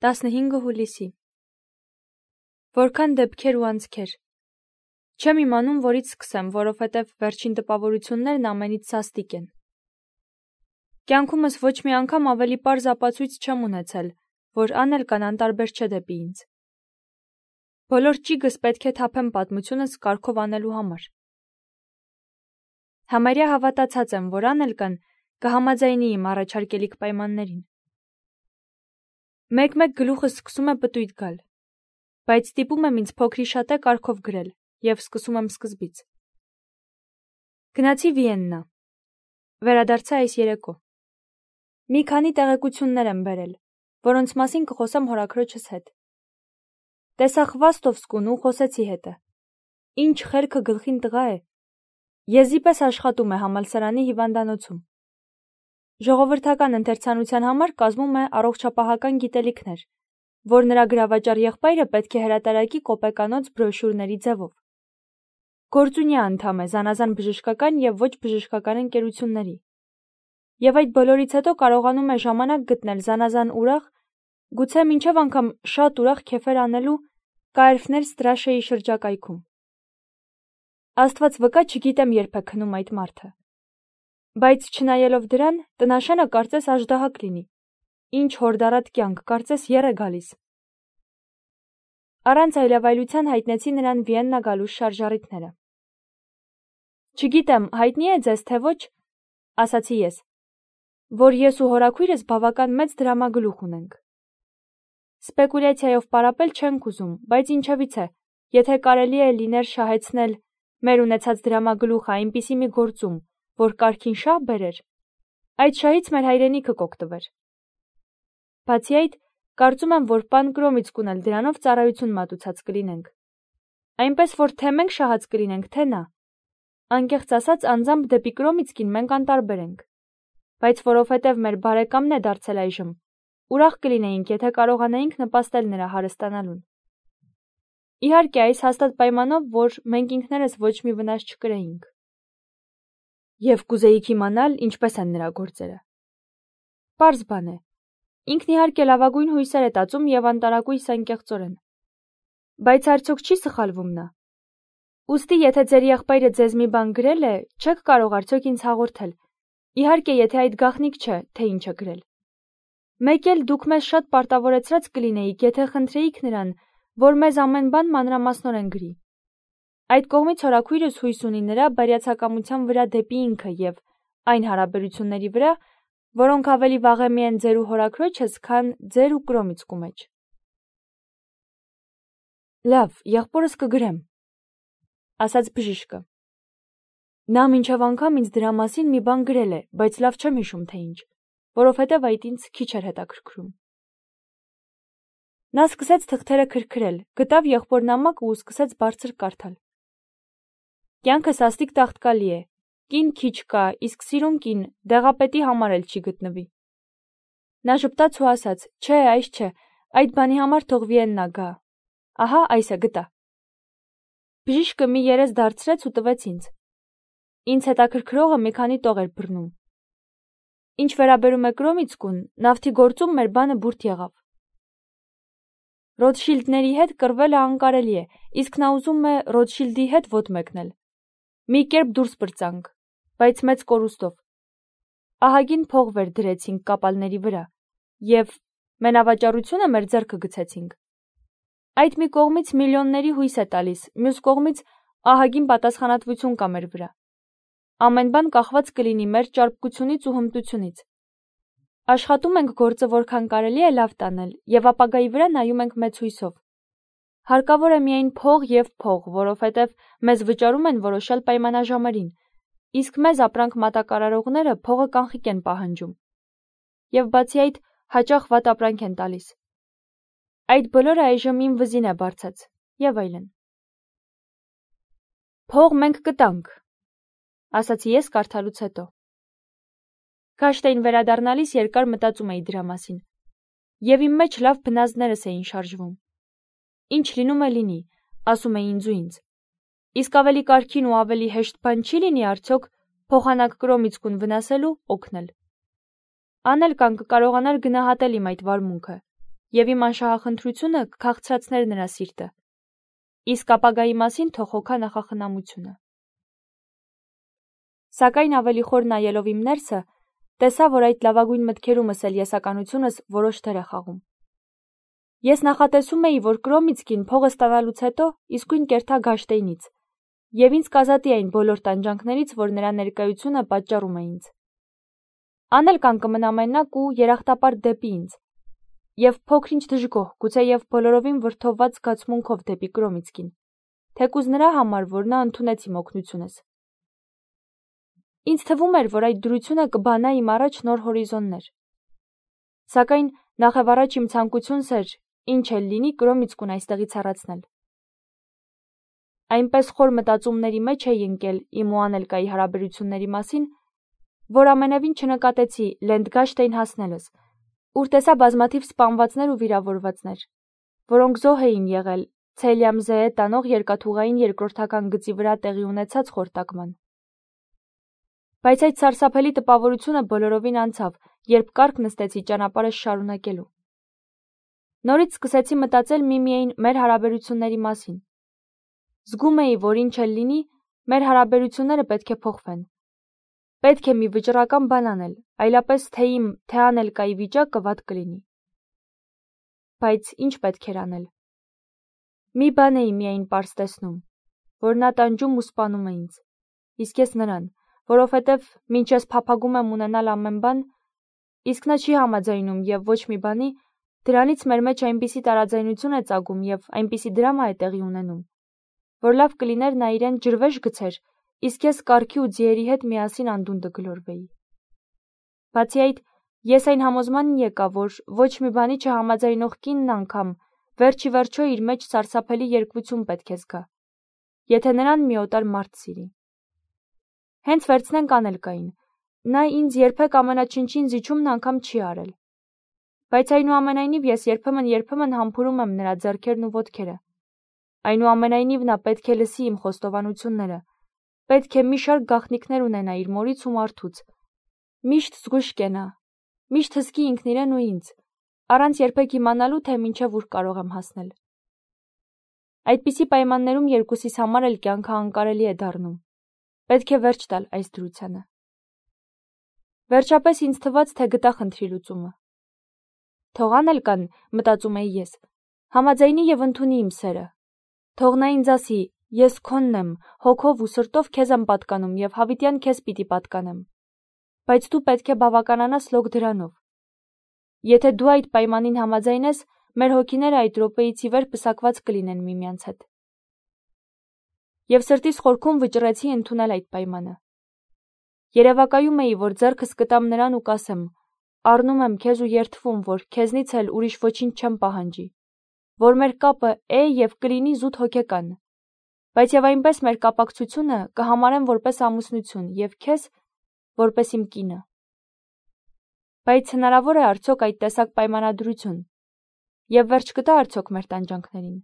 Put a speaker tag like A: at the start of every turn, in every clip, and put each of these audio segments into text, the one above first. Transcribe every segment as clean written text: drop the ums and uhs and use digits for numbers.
A: 15 հուլիսի։ Որքան դեպքեր ու անցքեր։ Չեմ իմանում, որից սկսեմ, որովհետև վերջին տպավորություններն ամենից սաստիկ են։ Կյանքումս ոչ մի անգամ ավելի պարզ ապացույց չեմ ունեցել, որ Անելկան անտարբեր չէ դեպի ինձ։ Բոլոր ճիգս պետք է թափեմ պատմությունս կարգով անելու համար։ Համարյա հավատացած եմ, որ Անելկան կհամաձայնի իմ առաջարկելիք պայմաններին։ Մեկ-մեկ գլուխս սկսում է պտույտ գալ, բայց ստիպում եմ ինձ փոքրիշատե կարգով գրել և սկսում եմ սկզբից։ Գնացի Վիեննա։ Վերադարձա այս երեկո։ Մի քանի տեղեկություններ եմ բերել, որոնց մասին կխոսեմ հորաքրոջս հետ։ Տեսա Խվաստովսկուն ու խոսեցի հետը։ Ինչ խելքը գլխին տղա է։ Եզի պես աշխատում է համալսարանի հիվանդանոցում։ Ժողովրդական ընթերցանության համար կազմում է առողջապահական գիտելիքներ, որ նրա գրավաճառ եղբայրը պետք է հրատարակի կոպեկանոց բրոշյուրների ձևով։ Գործունյա անդամ է զանազան բժշկական և ոչ բժշկական ընկերությունների։ Եվ այդ բոլորից հետո կարողանում է ժամանակ գտնել զանազան ուրախ, գուցե մինչև անգամ շատ ուրախ քեֆեր անելու Կայրֆներ Ստրաշեի շրջակայքում։ Աստված վկա, չգիտեմ երբ է քնում այդ մարդը։ Բայց չնայելով դրան, տնաշենը կարծես աժդահակ լինի։ Ինչ հորդառատ կյանք, կարծես եռ է գալիս։ Առանց այլավայլության հայտնեցի նրան Վիեննա գալու շարժառիթները։ Չգիտեմ, հայտնի է ձեզ, թե ոչ, ասացի ես, որ ես ու հորաքույրս բավական մեծ դրամագլուխ ունենք։ Սպեկուլյացիայով պարապել չենք ուզում, բայց ինչևից է, եթե կարելի է լիներ շահեցնել մեր ունեցած դրամագլուխը այնպիսի մի գործում, որ կարգին շահ բերեր, այդ շահից մեր հայրենիքը կօգտվեր։ Բացի այդ, կարծում եմ, որ պան Կրոմիցկուն էլ դրանով ծառայություն մատուցած կլինենք։ Այնպես որ թե մենք շահած կլինենք, թե նա։ Անկեղծ ասած, անձամբ դեպի Կրոմիցկին մենք անտարբեր ենք։ Բայց որովհետև մեր բարեկամն է դարձել այժմ, ուրախ կլինեինք, եթե կարողանայինք նպաստել նրա հարստանալուն։ Իհարկե, այս հաստատ պայմանով, որ մենք ինքներս ոչ մի վնաս չկրեինք։ Եվ կուզեիք իմանալ, ինչպես են նրա գործերը։ Պարզ բան է։ Ինքն իհարկե լավագույն հույսեր է տածում և անտարակույս անկեղծորեն։ Բայց արդյոք չի սխալվում նա։ Ուստի, եթե ձեր եղբայրը ձեզ մի բան գրել է, չեք կարող արդյոք ինձ հաղորդել։ Իհարկե, եթե այդ գաղտնիք չէ, թե ինչ է գրել։ Մեկ էլ դուք մեզ շատ պարտավորեցրած կլինեիք, եթե խնդրեիք նրան, որ մեզ ամեն բան մանրամասնորեն գրի։ Այդ կողմից հորաքույրս հույս ունի նրա բարյացակամության վրա դեպի ինքը և այն հարաբերությունների վրա, որոնք ավելի վաղեմի են ձեր ու հորաքրոջս, քան ձեր ու Կրոմիցկու մեջ։ Լավ, եղբորս կգրեմ, ասաց բժիշկը։ Նա մինչև անգամ ինձ դրա մասին մի բան գրել է, բայց լավ չեմ հիշում, թե ինչ, որովհետև այդ ինձ քիչ էր հետաքրքրում։ Նա սկսեց թղթերը քրքրել, գտավ եղբորնամակը ու սկսեց բարձր կարդալ։ Կյանքը սաստիկ տաղտկալի է, կին քիչ կա, իսկ սիրուն կին դեղապետի համար էլ չի գտնվի։ Նա ժպտաց ու ասաց. Չէ, այս չէ, այդ բանի համար թող Վիեննա գա։ Ահա, այս է, գտա։ Բժիշկը մի երես դարձրեց ու տվեց ինձ։ Ինձ հետաքրքրողը մի քանի տող էր բռնում։ Ինչ վերաբերում է Կրոմիցկուն, նավթի գործում մեր բանը բուրդ եղավ։ Ռոթշիլդների հետ կռվելը անկարելի է, իսկ նա ուզում է Ռոթշիլդի հետ ոտ մեկնել։ Մի կերպ դուրս պրծանք, բայց մեծ կորուստով։ Ահագին փող վեր դրեցինք կապալների վրա և մենավաճառությունը մեր ձեռքը գցեցինք։ Այդ մի կողմից միլիոնների հույս է տալիս, մյուս կողմից ահագին պատասխանատվություն կա մեր վրա։ Ամեն բան կախված կլինի մեր ճարպկությունից ու հմտությունից։ Աշխատում ենք գործը որքան կարելի է լավ տանել և ապագայի վրա նայում ենք մեծ հույսով։ Հարկավոր է միայն փող և փող, որովհետև մեզ վճարում են որոշյալ պայմանաժամերին, իսկ մեզ ապրանք մատակարարողները փողը կանխիկ են պահանջում։ Եվ բացի այդ, հաճախ վատ ապրանք են տալիս։ Այդ բոլորը այժմ իմ վզին է բարձած, և այլն։ Փող մենք կտանք, ասացի ես կարդալուց հետո։ Գաշտային վերադառնալիս երկար մտածում էի դրա մասին, և իմ մեջ լավ բնազդներս էին շարժվում։ Ինչ լինում է լինի, ասում էի ինձ ու ինձ։ Իսկ ավելի կարգին ու ավելի հեշտ բան չի լինի արդյոք փոխանակ Կրոմիցկուն վնասելու օգնել։ Անելկան կկարողանար գնահատել իմ այդ վարմունքը, եւ իմ անշահախնդրությունը կքաղցրացներ նրա սիրտը, իսկ ապագայի մասին թող հոգա նախախնամությունը։ Սակայն ավելի խոր նայելով իմ ներսը, տեսա, որ այդ լավագույն մտքերումս էլ եսականությունս որոշ դեր է խաղում։ Ես նախատեսում էի, որ Կրոմիցկին փողը ստանալուց հետո իսկույն կերթա Գաշտեյնից, եւ ինձ կազատի այն բոլոր տանջանքներից, որ նրա ներկայությունը պատճառում է ինձ։ Անել կան կմնա մենակ ու երախտապարտ դեպի ինձ, եւ փոքր-ինչ դժգոհ, գուցեև բոլորովին վրդովված զգացմունքով դեպի Կրոմիցկին, թեկուզ նրա համար, որ նա ընդունեց իմ օգնությունս։ Ինձ թվում էր, որ այդ դրությունը կբանա իմ առաջ նոր հորիզոններ։ Սակայն նախևառաջ իմ ցանկությունս էր, ինչ էլ լինի, Կրոմիցկուն այստեղից հեռացնել։ Այնպես խոր մտածումների մեջ էի ընկել իմ ու Անելկայի հարաբերությունների մասին, որ ամենևին չնկատեցի Լենդգաշտեյն հասնելս, ուր տեսա բազմաթիվ սպանվածներ ու վիրավորվածներ, որոնք զոհ էին եղել Ցելյամզեե տանող երկաթուղային երկրորդական գծի վրա տեղի ունեցած խորտակման։ Բայց այդ սարսափելի տպավորությունը բոլորովին անցավ, երբ կառք նստեցի ճանապարհս շարունակելու։ Նորից սկսեցի մտածել միմիայն մեր հարաբերությունների մասին։ Զգում էի, որ ինչ էլ լինի, մեր հարաբերությունները պետք է փոխվեն։ Պետք է մի վճռական բան անել, այլապես թե իմ, թե Անելկայի վիճակը վատ կլինի։ Բայց ինչ պետք էր անել։ Մի բան էի միայն պարզ տեսնում, որ նա տանջում ու սպանում է ինձ, իսկ ես նրան, որովհետև մինչ ես փափագում եմ ունենալ ամեն բան, իսկ նա չի համաձայնում եւ ոչ մի բանի, դրանից մեր մեջ այնպիսի տարաձայնություն է ծագում եւ այնպիսի դրամա է տեղի ունենում, որ լավ կլիներ նա իրեն ջրվեժ գցեր, իսկ ես կառքի ու ձիերի հետ միասին անդունդը գլորվեի։ Բացի այդ, ես այն համոզմանն եկա, որ ոչ մի բանի չհամաձայնող կինն անգամ վերջի վերջո իր մեջ սարսափելի երկվություն պետք է զգա, եթե նրան մի օտար մարդ սիրի։ Հենց վերցնենք Անելկային, նա ինձ երբեք ամենաչնչին զիջումն անգամ չի արել։ Բայց այնուամենայնիվ ես երբեմն համբուրում եմ նրա ձեռքերն ու ոտքերը։ Այնուամենայնիվ նա պետք է լսի իմ խոստովանությունները, պետք է մի շարք գաղտնիքներ ունենա իր մորից ու մարդուց, միշտ զգույշ կենա, միշտ հսկի ինքն իրեն ու ինձ, առանց երբեք իմանալու, թե մինչև ուր կարող եմ հասնել։ Այդպիսի պայմաններում երկուսիս համար էլ կյանքը անկարելի է դառնում։ Պետք է վերջ տալ այս դրությանը։ Վերջապես ինձ թվաց, թե գտա խնդրի լուծումը։ Թող Անելկան, մտածում էի ես, համաձայնի եւ ընդունի իմ սերը։ Թող նա ինձ ասի, ես քոնն եմ, հոգով ու սրտով քեզ եմ պատկանում եւ հավիտյան քեզ պիտի պատկանեմ։ Բայց դու պետք է բավականանաս լոկ դրանով։ Եթե դու այդ պայմանին համաձայնես, մեր հոգիները այդ րոպեից ի վեր պսակված կլինեն միմյանց հետ։ Եվ սրտիս խորքում վճռեցի ընդունել այդ պայմանը։ Երևակայում էի, որ ձեռքս կտամ նրան ու կասեմ. առնում եմ քեզ ու երդվում, որ քեզնից էլ ուրիշ ոչինչ չեմ պահանջի, որ մեր կապը է եւ կլինի զուտ հոգեկան, բայց եւ այնպես մեր կապակցությունը կհամարեմ որպես ամուսնություն եւ քեզ որպես իմ կինը։ Բայց հնարավոր է արդյոք այդ տեսակ պայմանադրություն եւ վերջ կտա արդյոք մեր տանջանքներին։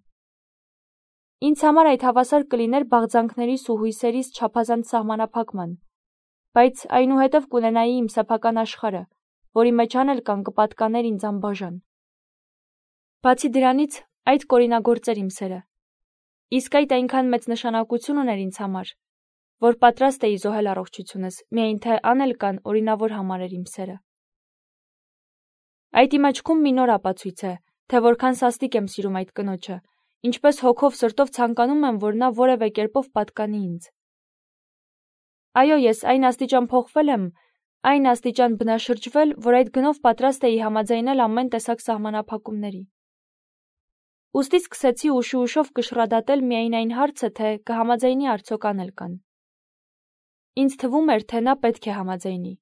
A: Ինձ համար այդ հավասար կլիներ բաղձանքներիս ու հույսերիս չափազանց սահմանափակման, բայց այնուհետև կունենայի իմ սեփական աշխարհը, որի մեջ Անելկան կպատկաներ ինձ անբաժան։ Բացի դրանից, այդ կորինագործեր իմ սերը, իսկ այդ այնքան մեծ նշանակություն ուներ ինձ համար, որ պատրաստ էի զոհել առողջությունս, միայն թե Անելկան օրինավոր համարեր իմ սերը։ Այդ իմ աչքում մի նոր ապացույց է, թե որքան սաստիկ եմ սիրում այդ կնոջը, ինչպես հոգով սրտով ցանկանում եմ, որ նա որևէ կերպով պատկանի ինձ։ Այո, ես այն աստիճան փոխվել եմ, այն աստիճան բնաշրջվել, որ այդ գնով պատրաստ էի համաձայնել ամեն տեսակ սահմանափակումների։ Ուստի սկսեցի ուշով կշռադատել միայն այն հարցը, թե կհամաձայնի արդյոք Անելկան։ Ինձ թվում էր, թե նա պետք է համաձայնի։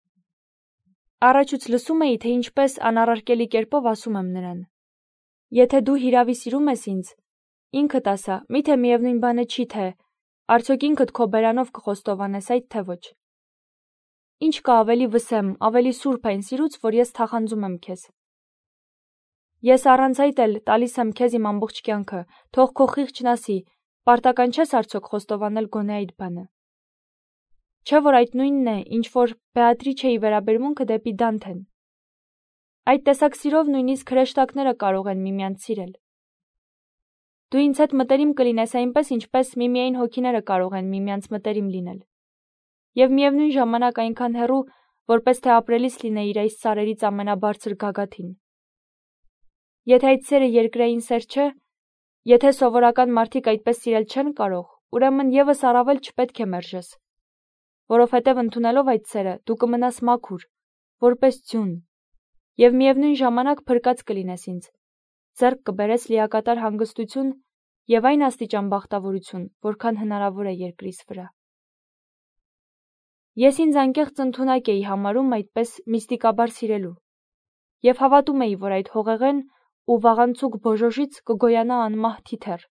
A: Առաջուց լսում էի, թե ինչպես անառարկելի կերպով ասում եմ նրան. եթե դու հիրավի սիրում ես ինձ, ինքդ ասա, միթե միևնույն բանը չի, թե արդյոք ինքդ քո բերանով կխոստովանես այդ, թե ոչ։ Ինչ կա ավելի վսեմ, ավելի սուրբ այն սիրուց, որ ես թախանձում եմ քեզ։ Ես առանց այդ էլ տալիս եմ քեզ իմ ամբողջ կյանքը, թող քո խիղճն ասի, պարտական չես արդյոք խոստովանել գոնե այդ բանը։ Չէ՞ որ այդ նույնն է, ինչ որ Բեատրիչեի վերաբերմունքը դեպի Դանթեն։ Այդ տեսակ սիրով նույնիսկ հրեշտակները կարող են միմյանց սիրել։ Դու ինձ հետ մտերիմ կլինես այնպես, ինչպես միմիայն հոգիները կարող են միմյանց մտերիմ լինել։ Եվ միևնույն ժամանակ այնքան հեռու, որպես թե ապրելիս լինեիր այս սարերից ամենաբարձր գագաթին։ Եթե այդ սերը երկրային սեր չէ, եթե սովորական մարդիկ այդպես սիրել չեն կարող, ուրեմն եւս առավել չպետք է մերժես, որովհետև ընդունելով այդ սերը դու կմնաս մաքուր, որպես ձյուն, եւ միևնույն ժամանակ փրկած կլինես ինձ, ձեռք կբերես լիակատար հանգստություն եւ այն աստիճան բախտավորություն, որքան հնարավոր է երկրիս վրա։ Ես ինձ անկեղծ ընդունակ էի համարում այդպես միստիկաբար սիրելու, եւ հավատում էի, որ այդ հողեղեն ու վաղանցուկ բոժոժից կգոյանա անմահ թիթեռ,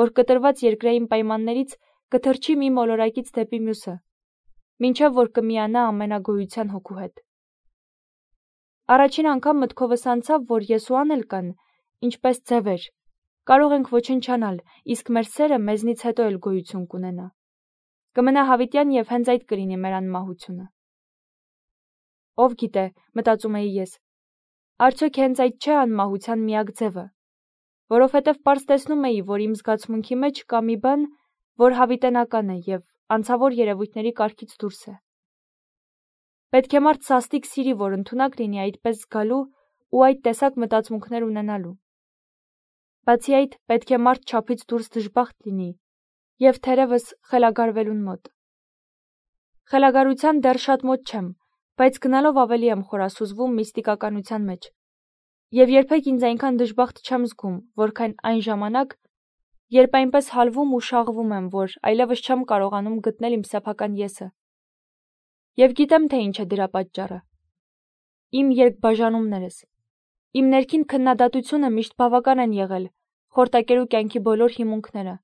A: որ կտրված երկրային պայմաններից կթռչի մի մոլորակից դեպի մյուսը, մինչև որ կմիանա ամենագոյության հոգու հետ։ Առաջին անգամ մտքովս անցավ, որ ես ու Անելկան, ինչպես ձևեր, կարող ենք ոչնչանալ, իսկ մեր սերը մեզնից հետո էլ գոյություն կունենա։ Կմնա հավիտյան եւ հենց այդ կլինի մեր անմահությունը։ Ով գիտե, մտածում էի ես, արդյոք հենց այդ չէ անմահության միակ ձևը, որովհետև պարզ տեսնում էի, որ իմ զգացմունքի մեջ կա մի բան, որ հավիտենական է եւ անցավոր երևույթների կարգից դուրս է։ Պետք է մարդ սաստիկ սիրի, որ ընդունակ լինի այդպես զգալու ու այդ տեսակ մտածմունքներ ունենալու։ Բացի այդ, պետք է մարդ չափից դուրս դժբախտ լինի եւ թերևս խելագարվելուն մոտ։ Խելագարության դեռ շատ մոտ չեմ, բայց գնալով ավելի եմ խորասուզվում միստիկականության մեջ։ Եվ երբեք ինձ այնքան դժբախտ չեմ զգում, որքան այն ժամանակ, երբ այնպես հալվում ու շաղվում եմ, որ այլևս չեմ կարողանում գտնել իմ սեփական եսը։ Եվ գիտեմ, թե ինչ է դրա պատճառը։ Իմ երկբաժանումներս, իմ ներքին քննադատությունը միշտ բավական են եղել խորտակերու կյանքի բոլոր հիմունքները։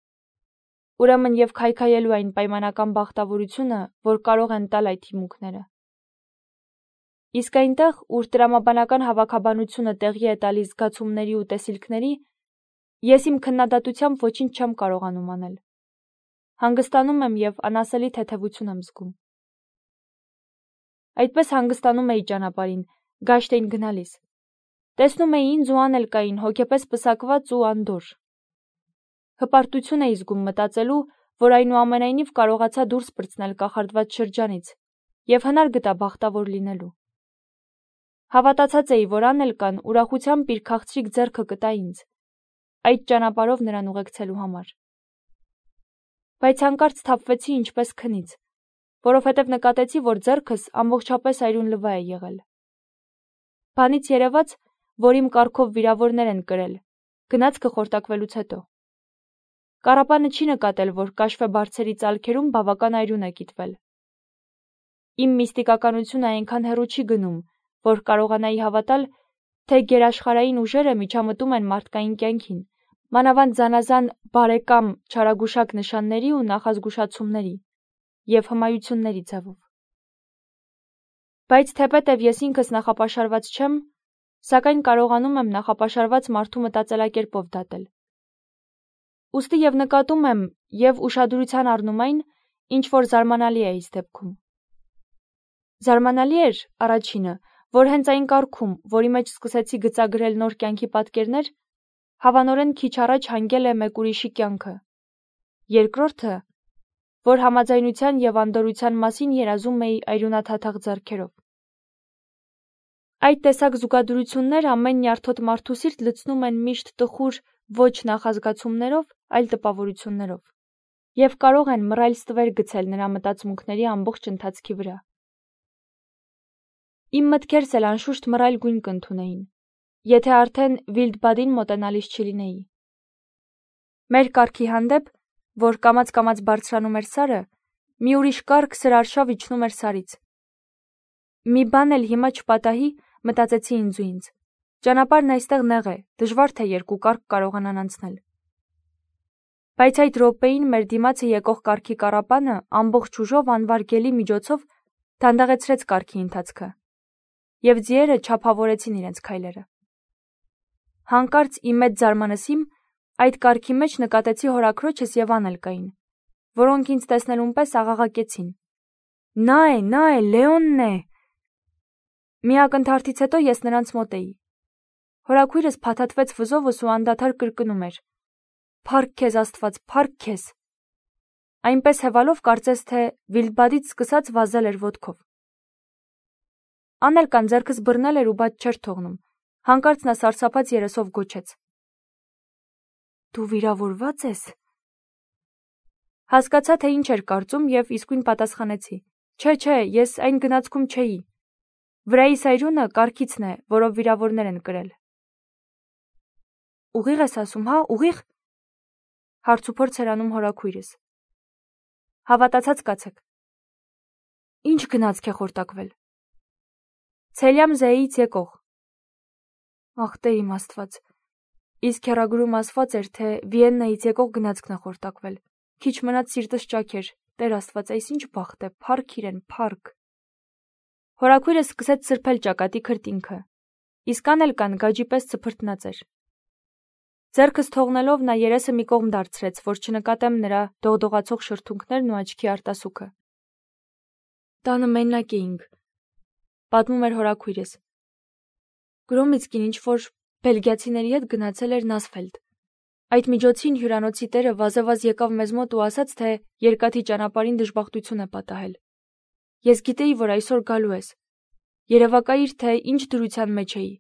A: Ուրեմն եւ քայքայելու այն պայմանական բախտավորությունը, որ կարող են տալ այդ հիմունքները։ Իսկ այնտեղ, ուր տրամաբանական հավաքաբանությունը տեղի է տալիս զգացումների ու տեսիլքների, ես իմ քննադատությամբ ոչինչ չեմ կարողանում անել։ Հանգստանում եմ եւ անասելի թեթևություն եմ զգում։ Այդպես հանգստանում էի ճանապարհին, Գաշտեին գնալիս։ Տեսնում էի ինձ ու Անելկային հոգեպես պսակված ու անդոր։ Հպարտություն էի զգում մտածելու, որ այնուամենայնիվ կարողացա դուրս պրծնել կախարդված շրջանից եւ հնար գտա բախտավոր լինելու։ Հավատացած էի, որ Անելկան ուրախությամբ իր քաղցրիկ ձեռքը կտա ինձ, այդ ճանապարհով նրան ուղեկցելու համար։ Բայց հանկարծ թափվեցի ինչպես քնից, որովհետև նկատեցի, որ ձեռքս ամբողջապես այրուն լվա է եղել։ Բանից երևաց, որ իմ կառքով վիրավորներ են կրել, գնացքը խորտակվելուց հետո։ Կարապանը չի նկատել, որ կաշվե բարձերի ծալքերում բավական այրուն է կիտվել։ Իմ միստիկականությունը այնքան հեռու չի գնում, որ կարողանայի հավատալ, թե գերաշխարհային ուժերը միջամտում են մարդկային կյանքին, մանավանդ զանազան բարեկամ չարագուշակ նշանների ու նախազգուշացումների եւ հմայությունների ձևով։ Բայց թեպետև ես ինքս նախապաշարված չեմ, սակայն կարողանում եմ նախապաշարված մարդու մտածելակերպով դատել։ Ուստի եւ նկատում եմ եւ ուշադրության առնում այն, ինչ որ զարմանալի է իս դեպքում։ Զարմանալի էր առաջինը, որ հենց այն կարգում, որի մեջ սկսեցի գծագրել նոր կյանքի պատկերներ, հավանորեն քիչ առաջ հանգել է մեկ ուրիշի կյանքը։ Երկրորդը, որ համաձայնության եւ անդորության մասին երազում էի այրունաթաթախ ձեռքերով։ Այդ տեսակ զուգադրություններ ամեն նյարդոտ մարդու սիրտ լցնում են միշտ տխուր ոչ նախազգացումներով, այլ տպավորություններով, եւ կարող են մռայլ ստվեր գցել նրա մտածմունքների ամբողջ ընթացքի վրա։ Իմ մտքերս էլ անշուշտ մռայլ գույն կընդունեին, եթե արդեն Վիլդբադին մոտենալիս չլինեի։ Մեր կարգի հանդեպ, որ կամաց-կամաց բարձրանում էր սարը, մի ուրիշ կարգ սրարշավ իջնում էր սարից։ Մի բան էլ հիմա չպատահի, մտածեցի ինձ ու ինձ։ Ճանապարհն այստեղ նեղ է, դժվար թե երկու կարգ կարողանան անցնել։ Բայց այդ րոպեին մեր դիմացը եկող կարգի կառապանը ամբողջ ուժով անվարգելի միջոցով դանդաղեցրեց կարգի ընթացքը, եւ ձիերը չափավորեցին իրենց քայլերը։ Հանկարծ իմ մեծ զարմանալին այդ կարգի մեջ նկատեցի հորաքրոջս եւ Անելկային, որոնք ինձ տեսնելուն պես աղաղակեցին. Նա է, Լեոնն է։ Մի ակնթարթից հետո ես նրանց մոտ էի։ Հորաքույրս փաթաթվեց վզովս ու անդադար կրկնում էր. «Փառք քեզ Աստված, փառք քեզ»։ Այնպես հևալով կարծես թե Վիլդբադից սկսած վազել էր ոտքով։ Անելկան ձեռքս բռնել էր ու բաց չէր թողնում։ Հանկարծ նա սարսափած երեսով գոչեց. «Դու վիրավորված ես»։ Հասկացա, թե ինչ էր կարծում և իսկույն պատասխանեցի. Չէ, ես այն գնացքում չէի։ Վրայիս այրունը կառքիցն է, որով վիրավորներ են կրել։ Ուղիղ ես ասում, հա, ուղիղ։ Հարցուփորձ էր անում հորաքույրս։ Հավատացած կացեք։ Ինչ գնացք է խորտակվել։ Ցելյամ Զեից եկող։ Ախ, Տեր իմ Աստված։ Իսկ հեռագրում ասված էր, թե Վիեննայից եկող գնացքն է խորտակվել։ Քիչ մնաց սիրտս ճաք էր։ Տեր Աստված, այս ինչ բախտ է, փառք իրեն, փառք։ Հորաքույրս սկսեց սրբել ճակատի քրտինքը, իսկ Անելկան գաջի պես ծփրտնած էր։ Ձեռքս թողնելով նա երեսը մի կողմ դարձրեց, որ չնկատեմ նրա դողդողացող շրթունքներն ու աչքի արտասուքը։ Տանը մենակ էինք, պատմում էր հորաքույրս։ Գրոմիցկին ինչ-որ բելգիացիների հետ գնացել էր Նասֆելդ։ Այդ միջոցին հյուրանոցի տերը վազեվազ եկավ մեզ մոտ ու ասաց, թե երկաթի ճանապարհին դժբախտություն է պատահել։ Ես գիտեի, որ այսօր գալու ես։ Երևակայիր, թե ինչ դրության մեջ էի։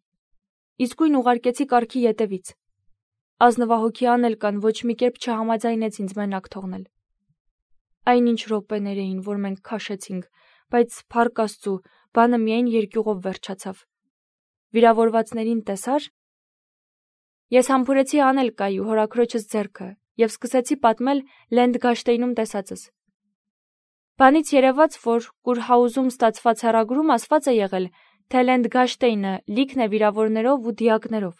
A: Իսկույն ուղարկեցի կառքի ետևից։ Ազնվահոգի Անելկան ոչ մի կերպ չհամաձայնեց ինձ մենակ թողնել։ Այնինչ րոպեներ էին, որ մենք քաշեցինք, բայց փառք Աստծու, բանը միայն երկյուղով վերջացավ։ Վիրավորվածներին տեսար։ Ես համբուրեցի Անելկայի ու հորաքրոջս ձեռքը և սկսեցի պատմել Լենդգաշտեյնում տեսածս։ Բանից երևաց, որ Կուրհաուզում ստացված հեռագրում ասված է եղել, թե Լենդգաշտեյնը լիքն է վիրավորներով ու դիակներով։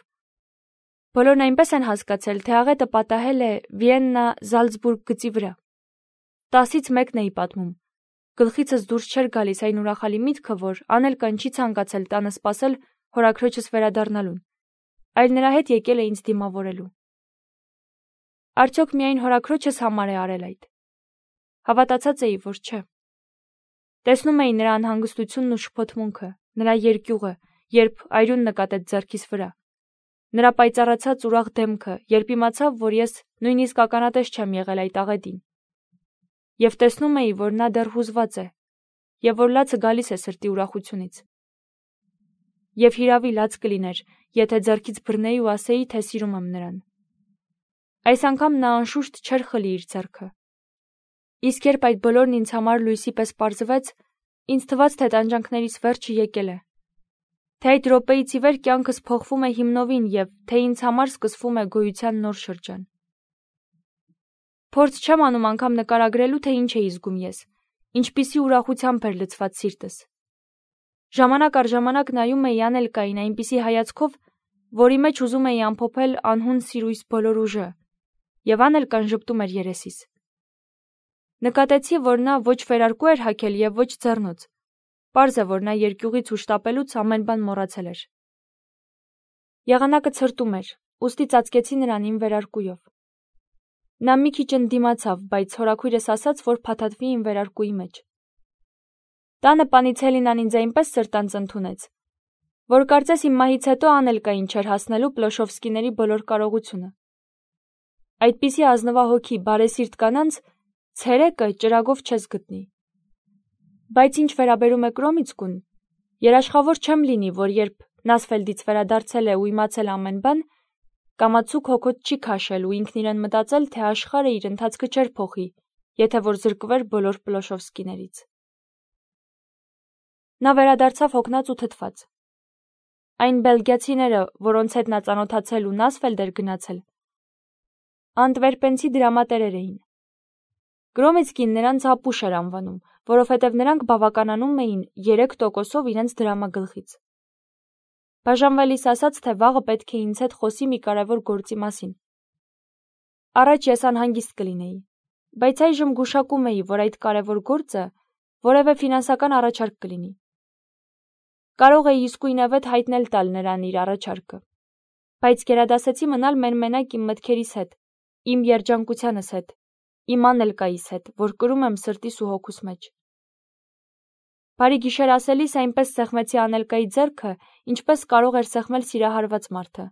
A: Բոլորն այնպես են հասկացել, թե աղետը պատահել է Վիեննա-Զալցբուրգ գծի վրա։ 10-ից 1-ն էի պատմում։ Գլխիցս դուրս չէր գալիս այն ուրախալի միտքը, որ Անելկան չի ցանկացել տանը սպասել հորաքրոջս վերադառնալուն, այլ նրա հետ եկել է ինձ դիմավորելու։ Արդյոք միայն հորաքրոջս համար է արել այդ։ Հավատացած էի, որ չէ։ Տեսնում էի նրա անհանգստությունն ու շփոթմունքը, նրա երկյուղը, երբ այրուն նկատեց ձեռքիս վրա, նրա պայծառացած ուրախ դեմքը, երբ իմացավ, որ ես նույնիսկ ականատես չեմ եղել այդ աղետին։ Եվ տեսնում էի, որ նա դեռ հուզված է, և որ լացը գալիս է սրտի ուրախությունից։ Եվ հիրավի լաց կլիներ, եթե ձեռքից բռնեի ու ասեի, թե սիրում եմ նրան։ Այս անգամ նա անշուշտ չէր խլի իր ձեռքը։ Իսկ երբ այդ բոլորն ինձ համար լույսի պես պարզվեց, ինձ թվաց, թե տանջանքներիս վերջը եկել է, թե այդ րոպեից ի վեր կյանքս փոխվում է հիմնովին և թե ինձ համար սկսվում է գոյության նոր շրջան։ Փորձ չեմ անում անգամ նկարագրելու, թե ինչ էի զգում ես, ինչպիսի ուրախությամբ էր լցված սիրտս։ Ժամանակ առ ժամանակ նայում էի Անելկային այնպիսի հայացքով, որի մեջ ուզում էի ամփոփել անհուն սիրույս բոլոր ուժը, և Անելկան ժպտում էր երեսիս։ Նկատեցի, որ նա ոչ վերարկու էր հագել և ոչ ձեռնոց։ Պարզ է, որ նա երկյուղից ու շտապելուց ամեն բան մոռացել էր։ Եղանակը ցրտում էր, ուստի ծածկեցի նրան իմ վերարկուով։ Նա մի քիչ ընդդիմացավ, բայց հորաքույրս ասաց, որ փաթաթվի իմ վերարկուի մեջ։ Տանը Պանիցելինան ինձ այնպես սրտանց ընդունեց, որ կարծես իմ մահից հետո Անելկային չէր հասնելու Պլոշովսկիների բոլոր կարողությունը։ Այդպիսի ազնվահոգի, բարեսիրտ կանանց ցերեկը ճրագով չես գտնի։ Բայց ինչ վերաբերում է Կրոմիցկուն, երաշխավոր չեմ լինի, որ երբ Նասֆելդից վերադարձել է ու իմացել ամեն բան, կամացուկ հոգոտ չի քաշել ու ինքն իրեն մտածել, թե աշխարհը իր ընթացքը չէր փոխի, եթե որ զրկվեր բոլոր Պլոշովսկիներից։ Նա վերադարձավ հոգնած ու թթված։ Այն բելգիացիները, որոնց հետ նա ծանոթացել ու Նասֆելդ էր գնացել, անտվերպենցի դրամատերեր էին։ Գրոմիցկին նրանց ապուշ էր անվանում, որովհետև նրանք բավականանում էին 3%-ով իրենց դրամագլխից։ Բաժանվելիս ասաց, թե վաղը պետք է ինձ հետ խոսի մի կարևոր գործի մասին։ Առաջ ես անհանգիստ կլինեի, բայց այժմ գուշակում էի, որ այդ կարևոր գործը որևէ ֆինանսական առաջարկ կլինի։ Կարող էի իսկույնավետ հայտնել տալ նրան իր առաջարկը, բայց գերադասեցի մնալ մենմենակ իմ մտքերիս հետ, իմ երջանկությանս հետ, իմ Անելկայիս հետ, որ կրում եմ սրտիս ու հոգուս մեջ։ Բարի գիշեր ասելիս այնպես սեղմեցի Անելկայի ձեռքը, ինչպես կարող էր սեղմել սիրահարված մարդը։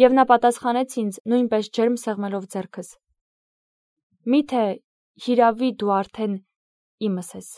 A: Եվ նա պատասխանեց ինձ նույնպես ջերմ սեղմելով ձեռքս. «Միթե հիրավի դու արդեն իմս ես»։